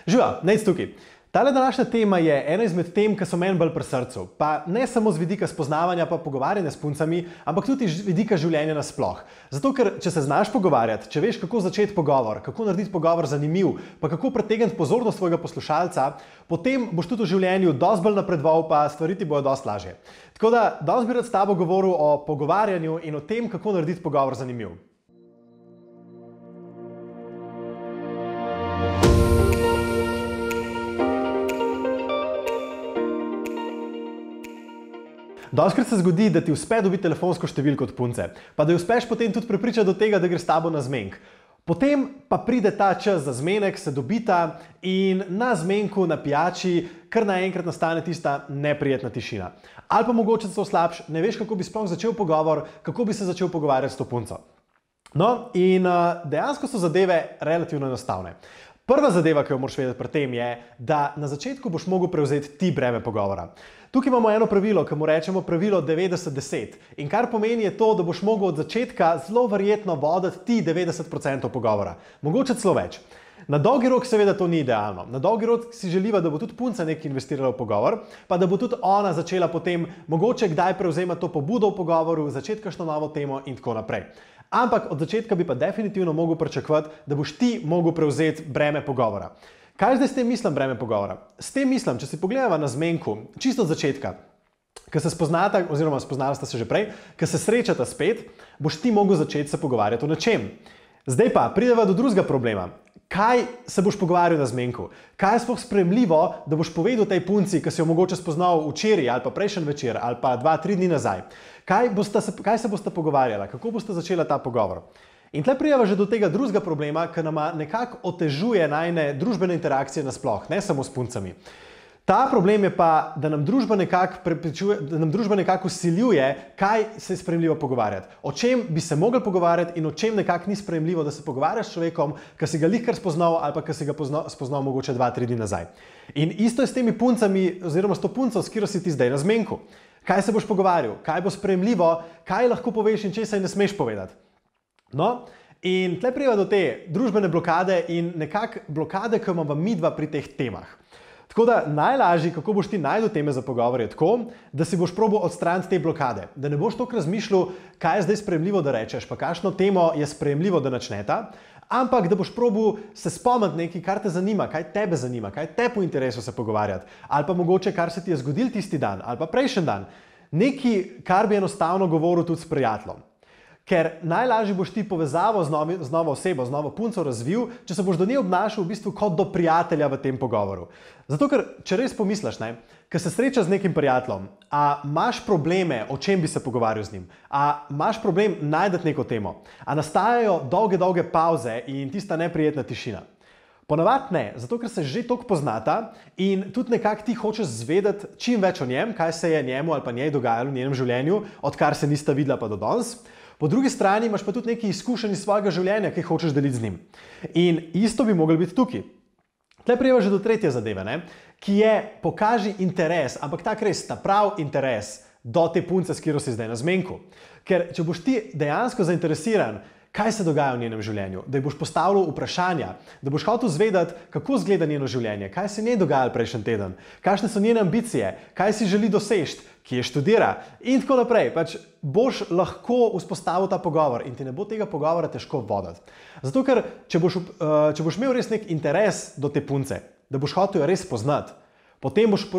Živijo, Nejc tukaj. Tale današnja tema je ena izmed tem, ki so meni bolj pri srcu. Pa ne samo z vidika spoznavanja pa pogovarjanja s puncami, ampak tudi z vidika življenja nasploh. Zato, ker če se znaš pogovarjati, če veš, kako začeti pogovor, kako narediti pogovor zanimiv, pa kako pritegniti pozornost svojega poslušalca, potem boš tudi v življenju dosti bolj napredoval, pa stvari ti bodo dosti lažje. Tako da danes bi rad s tabo govoril o pogovarjanju in o tem, kako narediti pogovor zanimiv. Dostikrat se zgodi, da ti uspe dobiti telefonsko številko od punce, pa da jo uspeš potem tudi prepričati do tega, da gre s tabo na zmenk. Potem pa pride ta čas za zmenek, se dobita in na zmenku, na pijači, kar naenkrat nastane tista neprijetna tišina. Ali pa mogoče celo slabše, ne veš, kako bi sploh začel pogovor, kako bi se začel pogovarjati s to punco. No, in dejansko so zadeve relativno enostavne. Prva zadeva, ki jo moraš vedeti pri tem, je, da na začetku boš mogel prevzeti ti breme pogovora. Tukaj imamo eno pravilo, ki mu rečemo pravilo 90-10. In kar pomeni je to, da boš mogel od začetka zelo verjetno voditi ti 90% pogovora. Mogoče celo več. Na dolgi rok seveda to ni idealno. Na dolgi rok si želiva, da bo tudi punca nekaj investirala v pogovor, pa da bo tudi ona začela potem mogoče kdaj prevzemati to pobudo v pogovoru, začeti kakšno novo temo in tako naprej. Ampak od začetka bi pa definitivno mogel pričakovati, da boš ti mogel prevzeti breme pogovora. Kaj zdaj s tem mislim breme pogovora? S tem mislim, če si pogledava na zmenku, čisto od začetka, ko se spoznata, oziroma spoznala sta se že prej, ko se srečata spet, boš ti mogel začeti se pogovarjati o nečem. Zdaj pa prideva do drugega problema. Kaj se boš pogovarjal na zmenku? Kaj je sploh sprejemljivo, da boš povedal tej punci, ki si jo mogoče spoznal včeraj ali pa prejšnji večer ali pa 2-3 dni nazaj? Kaj se bosta pogovarjala? Kako bosta začela ta pogovor? In tle prijava že do tega drugega problema, ki nama nekako otežuje najne družbene interakcije nasploh, ne samo s puncami. Ta problem je pa, da nam družba nekako vsiljuje, kaj se je sprejemljivo pogovarjati. O čem bi se mogli pogovarjati in o čem nekako ni sprejemljivo, da se pogovarjaš s človekom, ki si ga lihkar spoznal ali pa ki si ga spoznal mogoče 2-3 dni nazaj. In isto je s temi puncami, oziroma s to punco, s katero si ti zdaj na zmenku. Kaj se boš pogovarjal? Kaj bo sprejemljivo? Kaj lahko poveš in česa ne smeš povedati? No, in tle prijeva do te družbene blokade in nekako blokade, ki imamo midva pri teh temah. Tako da najlažje, kako boš ti našel teme za pogovor, je tako, da si boš probal odstraniti te blokade. Da ne boš toliko razmišljal, kaj je zdaj sprejemljivo, da rečeš, pa kakšno temo je sprejemljivo, da načneta, ampak da boš probal se spomniti nekaj, kar te zanima, kaj tebe zanima, kaj te po interesu se pogovarjati, ali pa mogoče, kar se ti je zgodil tisti dan, ali pa prejšnji dan. Nekaj, kar bi enostavno govoril tudi s prijateljem. Ker najlažje boš ti povezavo z novo osebo, z novo punco razvil, če se boš do nje obnašal v bistvu kot do prijatelja v tem pogovoru. Zato, ker če res pomisliš, ko se srečaš z nekim prijateljem, a imaš probleme, o čem bi se pogovarjal z njim, a imaš problem najti neko temo, a nastajajo dolge pauze in tista neprijetna tišina. Ponavadi ne, zato ker se že toliko poznata in tudi nekako ti hočeš zvedeti čim več o njem, kaj se je njemu ali pa njej dogajalo v njenem življenju, odkar se nista videla pa do danes. Po drugi strani imaš pa tudi nekaj izkušenj iz svojega življenja, ki hočeš deliti z njim. In isto bi moglo biti tukaj. Tle prijeva že do tretje zadeve, ki je pokaži interes, ampak tak res, ta prav interes do te punce, s katero si zdaj na zmenku. Ker če boš ti dejansko zainteresiran, kaj se dogaja v njenem življenju, da ji boš postavljal vprašanja, da boš hotel zvedeti, kako izgleda njeno življenje, kaj se njej dogajalo prejšnji teden, kakšne so njene ambicije, kaj si želi doseči, kje študira in tako naprej. Pač boš lahko vzpostavil ta pogovor in ti ne bo tega pogovora težko voditi. Zato, ker če boš imel res nek interes do te punce, da boš hotel jo res poznati, potem boš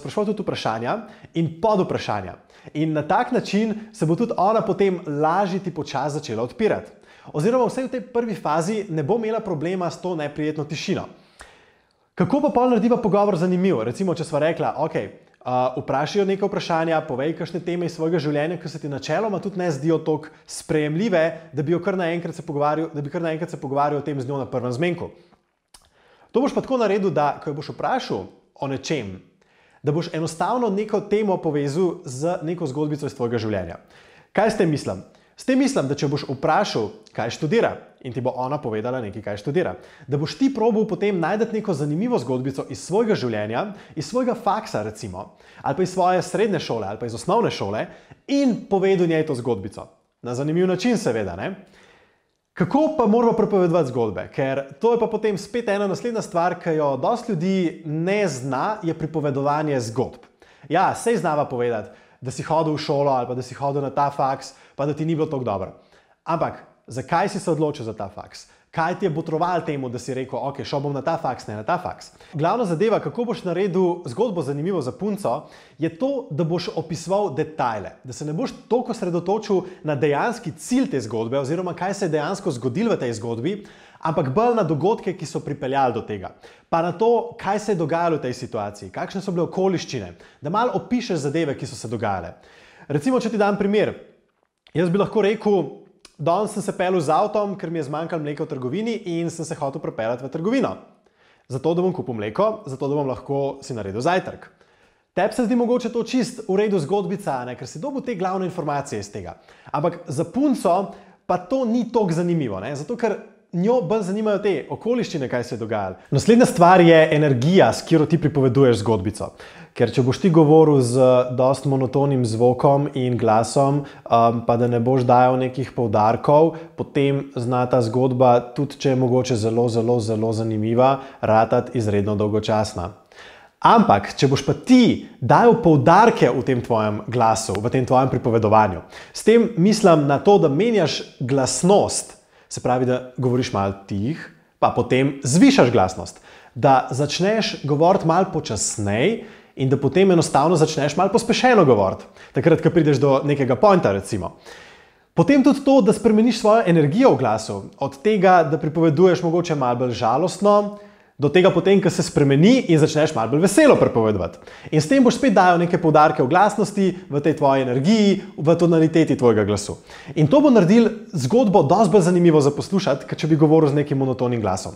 spraševal tudi vprašanja in podvprašanja. In na tak način se bo tudi ona potem lažje ti počasi začela odpirati. Oziroma vsaj v tej prvi fazi ne bo imela problema s to neprijetno tišino. Kako pa pol narediva pogovor zanimiv? Recimo, če sva rekla, ok, vprašajo nekaj vprašanja, povej kakšne teme iz svojega življenja, ki se ti načeloma tudi ne zdijo toliko sprejemljive, da bi kar naenkrat se pogovarjal o tem z njo na prvem zmenku. To boš pa tako naredil, da ko jo boš vprašal o nečem, da boš enostavno neko temo povezal z neko zgodbico iz tvojega življenja. Kaj s tem mislim? S tem mislim, da če boš vprašal, kaj študira, in ti bo ona povedala nekaj, kaj študira, da boš ti probal potem najti neko zanimivo zgodbico iz svojega življenja, iz svojega faksa recimo, ali pa iz svoje srednje šole, ali pa iz osnovne šole in povedal njej to zgodbico. Na zanimiv način seveda, ne? Kako pa moramo pripovedovati zgodbe? Ker to je pa potem spet ena naslednja stvar, ki jo dosti ljudi ne zna, je pripovedovanje zgodb. Ja, sej znava povedati, da si hodil v šolo ali pa da si hodil na ta faks, pa da ti ni bilo tako dobro. Ampak, zakaj si se odločil za ta faks? Kaj ti je botroval temu, da si rekel, ok, šel bom na ta faks, ne na ta faks? Glavna zadeva, kako boš naredil zgodbo zanimivo za punco, je to, da boš opisoval detajle. Da se ne boš toliko osredotočil na dejanski cilj te zgodbe, oziroma kaj se je dejansko zgodilo v tej zgodbi, ampak bolj na dogodke, ki so pripeljali do tega. Pa na to, kaj se je dogajalo v tej situaciji, kakšne so bile okoliščine, da malo opišeš zadeve, ki so se dogajale. Recimo, če ti dam primer, jaz bi lahko rekel, danes sem se peljal z avtom, ker mi je zmanjkalo mleka v trgovini in sem se hotel pripeljati v trgovino. Zato, da bom kupil mleko, zato, da bom lahko si naredil zajtrk. Tebi se zdi mogoče to čist v redu zgodbica, ne? Ker si dobil te glavne informacije iz tega. Ampak za punco pa to ni toliko zanimivo, ne? Zato, ker njo bolj zanimajo te okoliščine, kaj se je dogajalo. Naslednja stvar je energija, s katero ti pripoveduješ zgodbico. Ker če boš ti govoril z dost monotonim zvokom in glasom, pa da ne boš dajal nekih poudarkov, potem zna ta zgodba, tudi če je mogoče zelo zanimiva, ratati izredno dolgočasna. Ampak, če boš pa ti dajal poudarke v tem tvojem glasu, v tem tvojem pripovedovanju, s tem mislim na to, da menjaš glasnost, se pravi, da govoriš malo tih, pa potem zvišaš glasnost, da začneš govoriti malo počasneje in da potem enostavno začneš malo pospešeno govoriti, takrat, ko prideš do nekega pointa, recimo. Potem tudi to, da spremeniš svojo energijo v glasu, od tega, da pripoveduješ mogoče malo bolj žalostno, do tega potem, ko se spremeni in začneš malo bolj veselo pripovedovati. In s tem boš spet dajal neke poudarke v glasnosti, v tej tvoji energiji, v tonaliteti tvojega glasu. In to bo naredil zgodbo dosti bolj zanimivo za poslušati, kot če bi govoril z nekim monotonim glasom.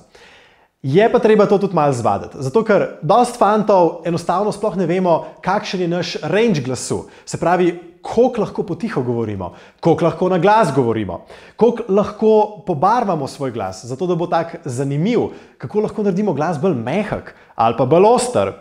Je pa treba to tudi malo zvaditi, zato ker dosti fantov enostavno sploh ne vemo, kakšen je naš range glasu. Se pravi, koliko lahko potiho govorimo, koliko lahko na glas govorimo, koliko lahko pobarvamo svoj glas, zato da bo tak zanimiv, kako lahko naredimo glas bolj mehak ali pa bolj oster.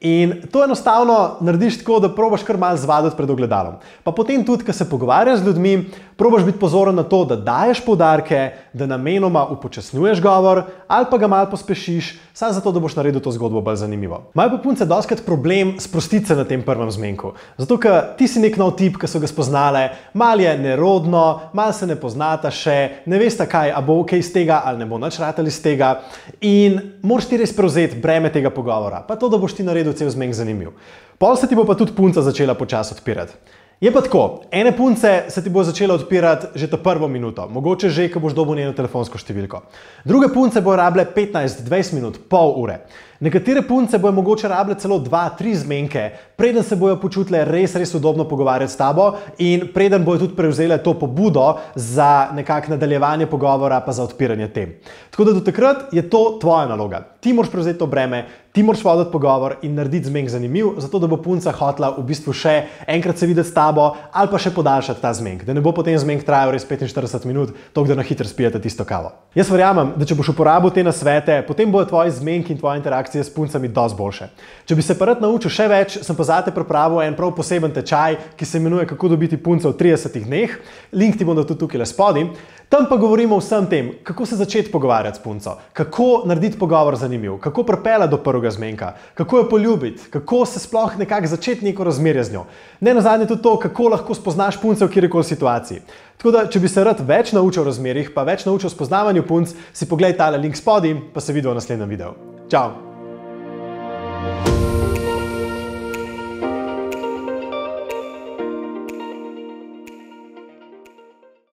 In to enostavno narediš tako, da probaš kar malo zvaditi pred ogledalom. Pa potem tudi, ko se pogovarjaš z ljudmi, probaš biti pozoren na to, da daješ poudarke, da namenoma upočasnjuješ govor ali pa ga malo pospešiš, samo zato, da boš naredil to zgodbo bolj zanimivo. Imajo pa punce dostikrat problem sprostiti se na tem prvem zmenku. Zato, ker ti si nek nov tip, ki so ga spoznale, malo je nerodno, malo se ne poznata še, ne veste kaj, a bo ok iz tega ali ne bo nič ratalo iz tega in moraš ti res prevzeti breme tega pogovora, pa to, da boš ti naredil cel zmenk zanimiv. Pol se ti bo pa tudi punca začela počasi odpirati. Je pa tako, ene punce se ti bo začela odpirati že to prvo minuto, mogoče že, ko boš dobil njeno telefonsko številko. Druge punce bojo rabile 15-20 minut, pol ure. Nekatere punce bojo mogoče rabile celo 2-3 zmenke, preden se bojo počutile res udobno pogovarjati s tabo in preden bojo tudi prevzele to pobudo za nekako nadaljevanje pogovora pa za odpiranje tem. Tako da do takrat je to tvoja naloga. Ti moraš prevzeti to breme, ti moraš voditi pogovor in narediti zmenk zanimiv, zato da bo punca hotela v bistvu še enkrat se videti s tabo ali pa še podaljšati ta zmenk, da ne bo potem zmenk trajal res 45 minut, toliko da na hitro spijete tisto kavo. Jaz verjamem, da če boš uporabil te nasvete, potem bojo tvoji zmenki in tvoje interakcije s puncami dosti boljše. Če bi se pa rad naučil še več, sem pa zate pripravil en prav poseben tečaj, ki se imenuje Kako dobiti punco v 30 dneh. Link ti bom dal tudi tukaj spodaj. Tam pa govorimo o vsem tem, kako se začeti pogovarjati s punco, kako narediti pogovor zanimiv, kako pripeljati do prvega zmenka, kako jo poljubiti, kako se sploh nekako začeti neko razmerje z njo. Ne nazadnje tudi to, kako lahko spoznaš punce v kjerkoli situaciji. Tako da, če bi se rad več naučil o razmerjih, pa več naučil o spoznavanju punc, si poglej tale link spodaj, pa se vidimo v naslednjem videu. Čau!